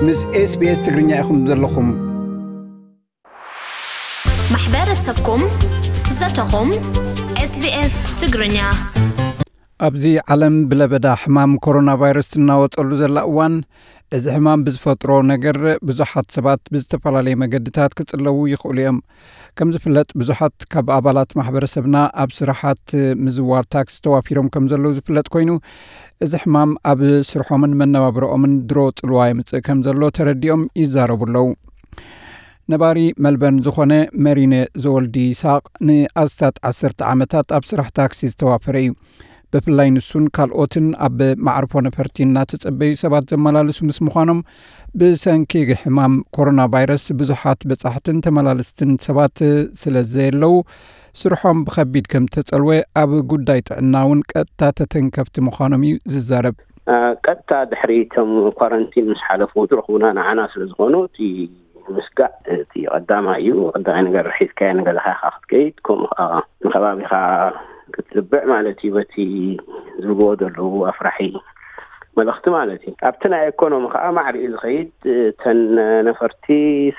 ምስ SBS ትግርኛ ኢኹም ዘለኹም። ማሕበረሰብኩም፣ ዘተኹም፣ SBS ትግርኛ። ኣብዚ ዓለም ብለበዳ ሕማም ኮሮና ቫይረስ ትናወጸሉ ዘላ እዋን፣ እዚ ሕማም ብዝፈጥሮ ነገር ብዙሓት ሰባት ብዝተፈላለየ መገድታት ክጽለዉ ይኽእሉ እዮም። ከም ዝፍለጥ፣ ብዙሓት ካብ ኣባላት ማሕበረሰብና ኣብ ስራሓት ምዝዋር ታክሲ ተዋፊሮም ከም ዘለዉ ዝፍለጥ ኮይኑ፣ እዚ ሕማም ኣብ ስርሖምን መነባብሮኦምን ድሮ ጽልዋ የምጽእ ከም ዘሎ ተረዲኦም ይዛረቡ ኣለዉ። ነባሪ መልበርን ዝኾነ መሪነ ዘወልዲ ይስሓቕ ንኣስታት ዓሰርተ ዓመታት ኣብ ስራሕ ታክሲ ዝተዋፈረ እዩ። ብፍላይ ንሱን ካልኦትን ኣብ መዓርፎ ነፈርቲ እናተጸበዩ ሰባት ዘመላልሱ ምስ ምዃኖም፣ ብሰንኪ ሕማም ኮሮና ቫይረስ ብዙሓት በጻሕትን ተመላለስትን ሰባት ስለ ዘየለዉ፣ ስርሖም ብኸቢድ ከም ተጸልወ ኣብ ጉዳይ ጥዕና እውን ቀጥታ ተተንከፍቲ ምዃኖም እዩ ዝዛረብ። ቀጥታ ድሕሪ እቶም ኳረንቲን ምስ ሓለፉ ዝረኽቡና ንዓና ስለ ዝኾኑ እቲ ምስጋእ እቲ ቀዳማይ እዩ። ቀዳማይ ነገር ሒዝካዮ ንገዛኻ ኢኻ ክትከይድ፣ ከምኡ ከዓ ንከባቢኻ ክትልብዕ ማለት እዩ። በቲ ዝብዎ ዘለዉ ኣፍራሒ መልእኽቲ ማለት እዩ። ኣብቲ ናይ ኢኮኖሚ ከዓ ማዕሪኡ ዝኸይድ፣ እተን ነፈርቲ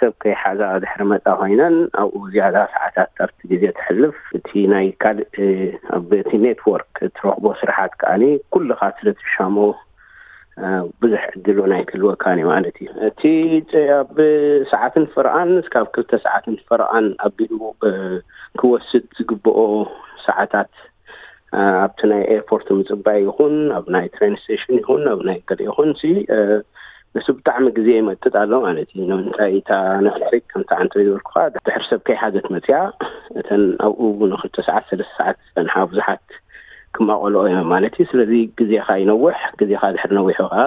ሰብ ከይሓዛ ድሕሪ መፃ ኮይነን ኣብኡ ዝያዳ ሰዓታት ኣብቲ ግዜ ተሕልፍ፣ እቲ ናይ ካልእ ኣብ እቲ ኔትወርክ እትረኽቦ ስራሓት ከዓኒ ኩልኻ ስለ ትሻሞ ብዙሕ ዕድል እውን ኣይክህልወካን እዩ ማለት እዩ። እቲ ኣብ ሰዓትን ፈረቓን እስካብ ክልተ ሰዓትን ፈረቓን ኣቢሉ ክወስድ ዝግብኦ ሰዓታት ኣብቲ ናይ ኤርፖርት ምፅባይ ይኹን ኣብ ናይ ትሬን ስቴሽን ይኹን ኣብ ናይ ገለ ይኹን ሲ ንሱ ብጣዕሚ ግዜ ይመጥጥ ኣሎ ማለት እዩ። ንምንታይ እታ ነፈሪት ከምቲ ዓንተ ዝበልኩኻ ድሕሪ ሰብ ከይሓዘት መፅያ እተን ኣብኡ ንክልተ ሰዓት ሰለስተ ሰዓት ዝፀንሓ ብዙሓት ክማቐልኦ እዮም ማለት እዩ። ስለዚ ግዜኻ ይነውሕ፣ ግዜኻ ድሕሪ ነዊሑ ከዓ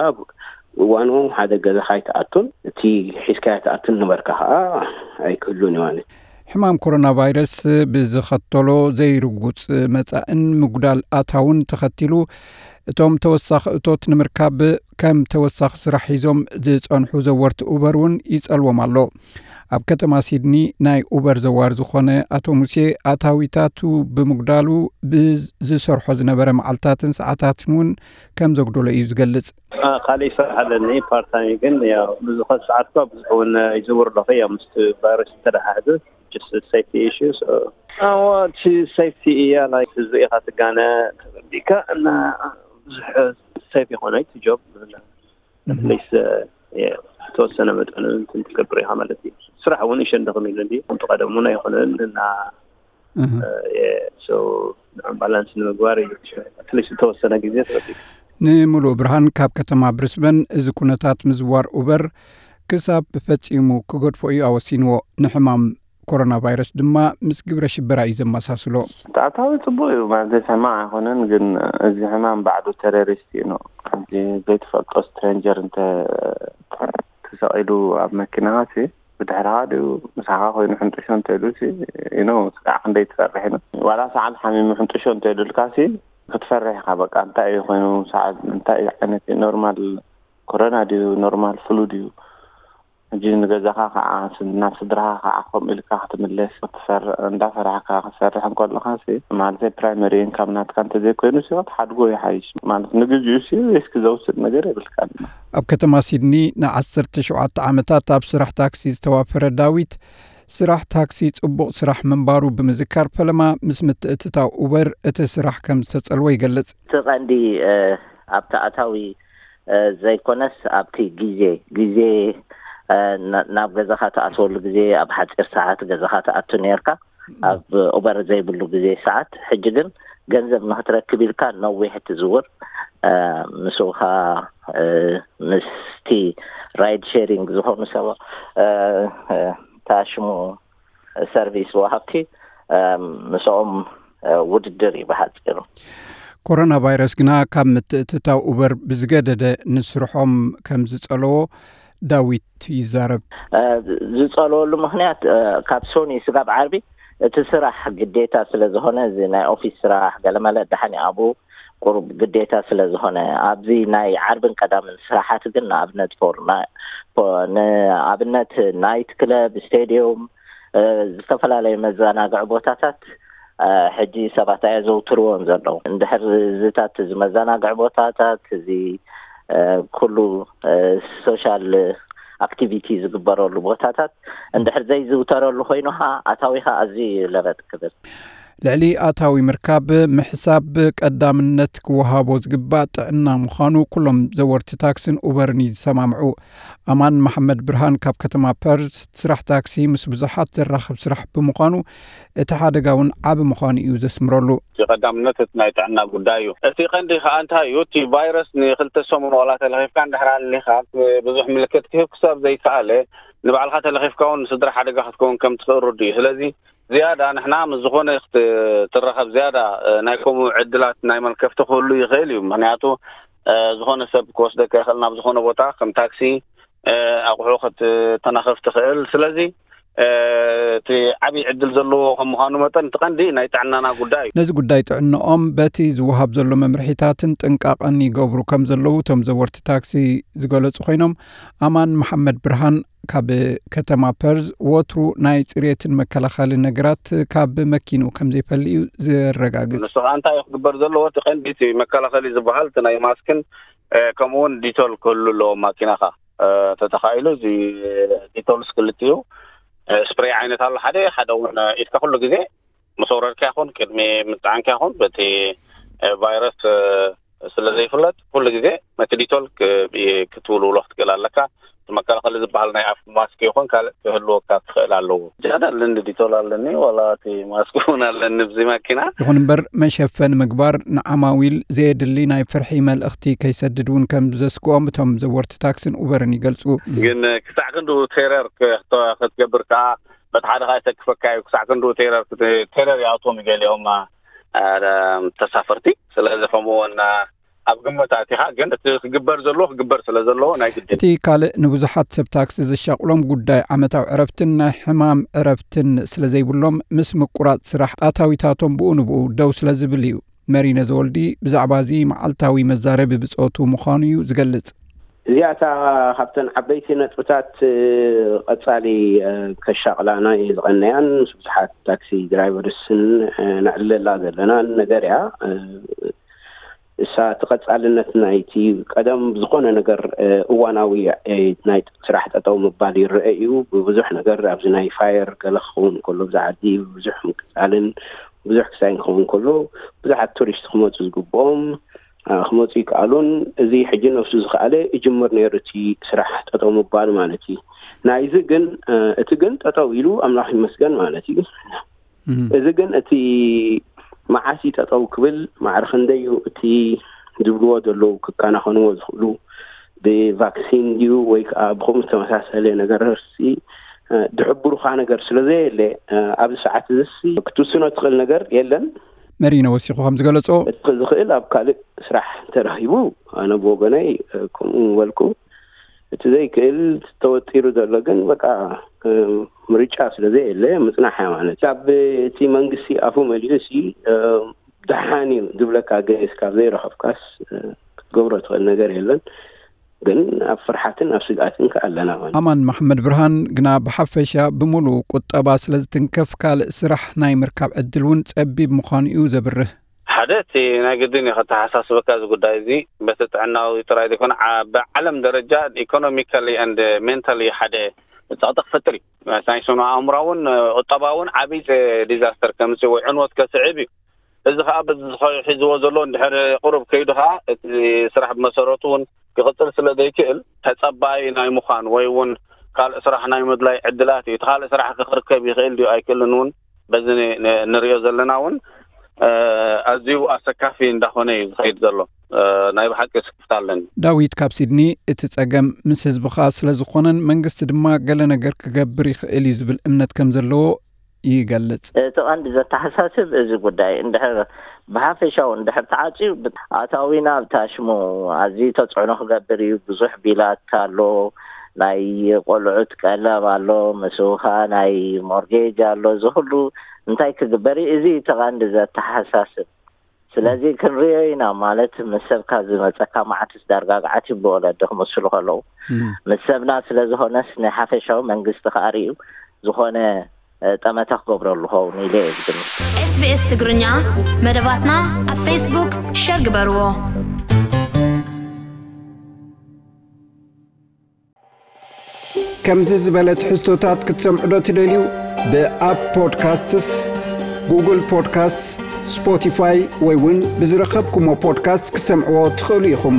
እዋኑ ሓደ ገዛኻ ኣይትኣቱን፣ እቲ ሒዝካዮ ትኣቱን ነበርካ ከዓ ኣይክህሉን እዩ ማለት እዩ። ሕማም ኮሮና ቫይረስ ብዝኸተሎ ዘይርጉጽ መጻእን ምጉዳል ኣታውን ተኸቲሉ እቶም ተወሳኺ እቶት ንምርካብ ከም ተወሳኺ ስራሕ ሒዞም ዝጸንሑ ዘወርቲ ኡበር እውን ይጸልዎም ኣሎ። ኣብ ከተማ ሲድኒ ናይ ኡበር ዘዋር ዝኾነ ኣቶ ሙሴ ኣታዊታቱ ብምጉዳሉ ብዝሰርሖ ዝነበረ መዓልታትን ሰዓታትን እውን ከም ዘጉደሎ እዩ ዝገልጽ። ካልእ ይሰርሕ ኣለኒ ፓርታይም ግን ያው ብዙ ሰዓት እኳ ብዙሕ እውን ይዝውር ኣለኹ ያው ምስ ቫይረስ ዝተደሓሕዘ just safety issues እቲ safety እያ like ህዝቢ ኢኻ ትጋነ ተጸቢካ እና ብዙሕ safe ይኾነ እቲ job at least ተወሰነ መጠን እንትን ትገብር ኢኻ ማለት እዩ። ስራሕ እውን ይሸንድኽም ኢሉ እንዲ ከምቲ ቀደሙን ኣይኮነን እና so ንዕም ባላንስ ንምግባር እዩ። at least ዝተወሰነ ግዜ ተጸቢካ። ንምሉእ ብርሃን ካብ ከተማ ብሪስበን እዚ ኩነታት ምዝዋር ኡበር ክሳብ ፈጺሙ ክገድፎ እዩ ኣወሲንዎ። ንሕማም ኮሮና ቫይረስ ድማ ምስ ግብረ ሽበራ እዩ ዘመሳስሎ። እቲ ኣታዊ ጽቡቕ እዩ ማለት ሕማቕ ኣይኮነን፣ ግን እዚ ሕማም ባዕሉ ቴሮሪስት እዩ ነው። ሕጂ ዘይትፈልጦ ስትሬንጀር እንተ ተሰቒሉ ኣብ መኪናኻ ሲ ብድሕርኻ ድዩ ምሳኻ ኮይኑ ሕንጥሾ እንተኢሉ ሲ you know ስጋዕ ክንደይ ትፈርሕ ኢና። ዋላ ሰዓል ሓሚሙ ሕንጥሾ እንተኢሉልካ ሲ ክትፈርሕ ኢኻ። በቃ እንታይ እዩ ኮይኑ ሰዓል እንታይ እዩ ዓይነት እዩ ኖርማል ኮሮና ድዩ ኖርማል ፍሉ ድዩ ሕጂ ንገዛኻ ከዓ ናብ ስድራኻ ከዓ ከምኡ ኢልካ ክትምለስ ክትሰርሕ እንዳፈራሕካ ክትሰርሕ እንከለኻ ሲ ማለተይ ፕራይመሪ ኢንካም ናትካ እንተዘይኮይኑ ሲ ክትሓድጎ ይሓይሽ ማለት ንግዚኡ ሲ ሪስክ ዘውስድ ነገር የብልካን። ኣብ ከተማ ሲድኒ ንዓሰርተ ሸውዓተ ዓመታት ኣብ ስራሕ ታክሲ ዝተዋፈረ ዳዊት ስራሕ ታክሲ ጽቡቕ ስራሕ ምንባሩ ብምዝካር ፈለማ ምስ ምትእትታው ኡበር እቲ ስራሕ ከም ዝተጸልወ ይገልጽ። እቲ ቀንዲ ኣብቲ ኣታዊ ዘይኮነስ ኣብቲ ግዜ ግዜ ናብ ገዛኻ ትኣትወሉ ግዜ ኣብ ሓፂር ሰዓት ገዛኻ ትኣቱ ነርካ ኣብ ኡበር ዘይብሉ ግዜ ሰዓት ሕጂ ግን ገንዘብ ንክትረክብ ኢልካ ነዊሕ ትዝውር ምስኡካ ምስቲ ራይድ ሼሪንግ ዝኾኑ ሰብ ታሽሙ ሰርቪስ ወሃብቲ ምስኦም ውድድር እዩ ብሓፂሩ። ኮሮና ቫይረስ ግና ካብ ምትእትታው ኡበር ብዝገደደ ንስርሖም ከም ዝጸለዎ ዳዊት ይዛረብ። ዝጸለወሉ ምክንያት ካብ ሶኒ ስጋብ ዓርቢ እቲ ስራሕ ግዴታ ስለ ዝኾነ እዚ ናይ ኦፊስ ስራሕ ገለመለ ደሓን ኣብኡ ቁሩብ ግዴታ ስለ ዝኾነ ኣብዚ ናይ ዓርብን ቀዳምን ስራሓት ግን ንኣብነት ፎር ንኣብነት ናይት ክለብ ስቴድዮም ዝተፈላለዩ መዘናግዒ ቦታታት ሕጂ ሰባት ኣየዘውትርዎን ዘለዉ እንድሕር እዚታት እዚ መዘናግዒ ቦታታት እዚ ኩሉ ሶሻል ኣክቲቪቲ ዝግበረሉ ቦታታት እንድሕር ዘይዝውተረሉ ኮይኑ ኸዓ ኣታዊኻ ኣዝዩ እዩ ለበጥ ክብል። ልዕሊ ኣታዊ ምርካብ ምሕሳብ ቀዳምነት ክወሃቦ ዝግባእ ጥዕና ምዃኑ ኩሎም ዘወርቲ ታክስን ኡበርን እዩ ዝሰማምዑ። ኣማን መሓመድ ብርሃን ካብ ከተማ ፐርዝ፣ ስራሕ ታክሲ ምስ ብዙሓት ዘራኽብ ስራሕ ብምዃኑ እቲ ሓደጋ እውን ዓቢ ምዃኑ እዩ ዘስምረሉ። እቲ ቀዳምነት እቲ ናይ ጥዕና ጉዳይ እዩ። እቲ ቀንዲ ከዓ እንታይ እዩ? እቲ ቫይረስ ንክልተ ሰሙን ዋላ ተለኺፍካ እንድሕር ኣሊኻ ብዙሕ ምልክት ክህብ ክሳብ ዘይከኣለ ንባዕልካ ተለኺፍካ እውን ንስድራ ሓደጋ ክትከውን ከም ትኽእል ርዱ እዩ። ስለዚ ዝያዳ ንሕና ምስ ዝኾነ ክትራኸብ ዝያዳ ናይ ከምኡ ዕድላት ናይ መልከፍቲ ክህሉ ይኽእል እዩ። ምክንያቱ ዝኾነ ሰብ ክወስደካ ይኽእል ናብ ዝኾነ ቦታ ከም ታክሲ ኣቑሑ ክትተናኸፍ ትኽእል። ስለዚ እቲ ዓብዪ ዕድል ዘለዎ ከም ምዃኑ መጠን እቲ ቀንዲ ናይ ጥዕናና ጉዳይ እዩ። ነዚ ጉዳይ ጥዕንኦም በቲ ዝወሃብ ዘሎ መምርሒታትን ጥንቃቐን ይገብሩ ከም ዘለዉ እቶም ዘወርቲ ታክሲ ዝገለጹ ኮይኖም፣ ኣማን መሓመድ ብርሃን ካብ ከተማ ፐርዝ ወትሩ ናይ ጽሬትን መከላኸሊ ነገራት ካብ መኪንኡ ከም ዘይፈሊ እዩ ዘረጋግጽ። ንሱ ከዓ እንታይ እዩ ክግበር ዘለዎ? እቲ ቀንዲ እቲ መከላኸሊ ዝበሃል እቲ ናይ ማስክን ከምኡ እውን ዲቶል ክህሉ ኣለዎ ማኪናኻ ተተኻኢሉ እዚ ዲቶልስ ክልቲኡ ስፕሬይ ዓይነት ኣሎ ሓደ ሓደ እውን ኢድካ ኩሉ ግዜ ምስ ኣውረድካ ይኹን ቅድሚ ምፅዓንካ ይኹን በቲ ቫይረስ ስለ ዘይፍለጥ ኩሉ ግዜ ነቲ ዲቶል ክትውልውሎ ክትክእል ኣለካ። እቲ መከላኸሊ ዝበሃል ናይ ኣፍ ማስክ ይኹን ካልእ ክህልወካ ክኽእል ኣለዎ። ጃዳ ኣለኒ ዲቶል ኣለኒ ዋላ እቲ ማስክ እውን ኣለኒ ብዚ ማኪና። ይኹን እምበር መሸፈኒ ምግባር ንዓማዊል ዘየድሊ ናይ ፍርሒ መልእኽቲ ከይሰድድ እውን ከም ዘስግኦም እቶም ዘወርቲ ታክስን ኡበርን ይገልፁ። ግን ክሳዕ ክንድኡ ቴረር ክትገብር ከዓ በቲ ሓደ ከዓ ይተክፈካ እዩ። ክሳዕ ክንድኡ ቴረር ቴረር ይኣትዎም ገሊኦም ተሳፈርቲ። ስለዚ ከምኡ እውን ኣብ ግምት ኣቲኻ ግን እቲ ክግበር ዘለዎ ክግበር ስለ ዘለዎ ናይ ግድን። እቲ ካልእ ንብዙሓት ሰብ ታክሲ ዘሻቕሎም ጉዳይ ዓመታዊ ዕረፍትን ናይ ሕማም ዕረፍትን ስለ ዘይብሎም ምስ ምቁራጽ ስራሕ ኣታዊታቶም ብኡ ንብኡ ደው ስለ ዝብል እዩ። መሪነ ዘወልዲ ብዛዕባ እዚ መዓልታዊ መዛረቢ ብጾቱ ምዃኑ እዩ ዝገልጽ። እዚኣታ ካብተን ዓበይቲ ነጥብታት ቀጻሊ ከሻቕላና ዝቐነያን ምስ ብዙሓት ታክሲ ድራይቨርስን ነዕልለላ ዘለናን ነገር እያ። እሳ እቲ ቀጻልነት ናይቲ ቀደም ብዝኾነ ነገር እዋናዊ ናይ ስራሕ ጠጠው ምባል ይረአ እዩ። ብብዙሕ ነገር ኣብዚ ናይ ፋየር ገለ ክኸውን ከሎ ብዛ ዓዲ ብዙሕ ምቅጻልን ብዙሕ ክሳይን ክኸውን ከሎ ብዙሓት ቱሪስት ክመፁ ዝግብኦም ክመፁ ይከኣሉን እዚ ሕጂ ነብሱ ዝኸኣለ ይጅምር ነይሩ እቲ ስራሕ ጠጠው ምባል ማለት እዩ። ናይዚ ግን እቲ ግን ጠጠው ኢሉ ኣምላኽ ይመስገን ማለት እዩ። እዚ ግን እቲ መዓስ እዩ ጠጠው ክብል ማዕረ ክንደይ እዩ እቲ ዝብልዎ ዘለዉ ክከናኸንዎ ዝኽእሉ ብቫክሲን ድዩ ወይ ከዓ ብከምኡ ዝተመሳሰለ ነገር ሲ ድሕብሩኻ ነገር ስለ ዘየለ ኣብዚ ሰዓት እዚ ክትውስኖ ትኽእል ነገር የለን። መሪኖ ወሲኹ ከም ዝገለጾ እቲ ዝኽእል ኣብ ካልእ ስራሕ ተረኺቡ ኣነ ብወገነይ ከምኡ ምበልኩ እቲ ዘይክእል ተወጢሩ ዘሎ ግን በቃ ምርጫ ስለ ዘየለ ምፅናሕ እያ ማለት ካብ እቲ መንግስቲ ኣፉ መሊኡ ሲ ደሓን እዩ ዝብለካ ገስ ካብ ዘይረኸብካስ ክትገብሮ ትኽእል ነገር የለን። ግን ኣብ ፍርሓትን ኣብ ስግኣትን ከ ኣለና ማለት ኣማን መሓመድ ብርሃን ግና ብሓፈሻ ብምሉእ ቁጠባ ስለ ዝትንከፍ ካልእ ስራሕ ናይ ምርካብ ዕድል እውን ጸቢብ ምዃኑ እዩ ዘብርህ። ሓደ እቲ ናይ ግድን እዩ ከተሓሳስበካ እዚ ጉዳይ እዚ በቲ ጥዕናዊ ጥራይ ዘይኮነ ብዓለም ደረጃ ኢኮኖሚካሊ ን ሜንታሊ ሓደ ጸቕጢ ክፈጥር እዩ። ናይ ስነ ኣእምሮ እውን ቁጠባ እውን ዓብይ ዲዛስተር ከምፅእ ወይ ዕንወት ከስዕብ እዩ። እዚ ከዓ በዚ ሒዝዎ ዘሎ እንድሕር ቁሩብ ከይዱ ከዓ እቲ ስራሕ ብመሰረቱ እውን ክቕፅል ስለ ዘይክእል ተፀባይ ናይ ምዃን ወይ እውን ካልእ ስራሕ ናይ ምድላይ ዕድላት እዩ። እቲ ካልእ ስራሕ ክርከብ ይኽእል ድዩ ኣይክእልን እውን በዚ ንሪኦ ዘለና እውን ኣዝዩ ኣሰካፊ እንዳኾነ እዩ ዝኸይድ ዘሎ። ናይ ብሓቂ ስክፍታ ኣለኒ። ዳዊት ካብ ሲድኒ እቲ ጸገም ምስ ህዝብኻ ስለ ዝኾነን መንግስቲ ድማ ገለ ነገር ክገብር ይኽእል እዩ ዝብል እምነት ከም ዘለዎ ይገልጽ። እቲ ቀንዲ ዘተሓሳስብ እዚ ጉዳይ እንድሕር ብሓፈሻዊ እንድሕር ተዓፅዩ ኣታዊና ኣብ ታሽሙ ኣዝዩ ተፅዕኖ ክገብር እዩ። ብዙሕ ቢላት ኣሎ፣ ናይ ቆልዑት ቀለብ ኣሎ፣ ምስኡ ከዓ ናይ ሞርጌጅ ኣሎ። እዚ ኩሉ እንታይ ክግበር እዩ? እዚ እቲ ቀንዲ ዘተሓሳስብ። ስለዚ ክንሪኦ ኢና ማለት ምስ ሰብካ ዝመፀካ መዓትስ ዳርጋ ገዓት ይብሉ ወለዲ ክመስሉ ከለዉ ምስ ሰብና ስለ ዝኾነስ ናይ ሓፈሻዊ መንግስቲ ከዓ ርእዩ ዝኾነ ጠመተ ክገብረሉ ኸውን ኢለ እየ ዝግምት። SBS ትግርኛ መደባትና ኣብ ፌስቡክ ሸር ግበርዎ። ከምዚ ዝበለ ትሕዝቶታት ክትሰምዑ ዶ ትደልዩ? ብኣፕ ፖድካስትስ፣ ጉግል ፖድካስት፣ ስፖቲፋይ ወይ እውን ብዝረኸብኩሞ ፖድካስት ክትሰምዕዎ ትኽእሉ ኢኹም።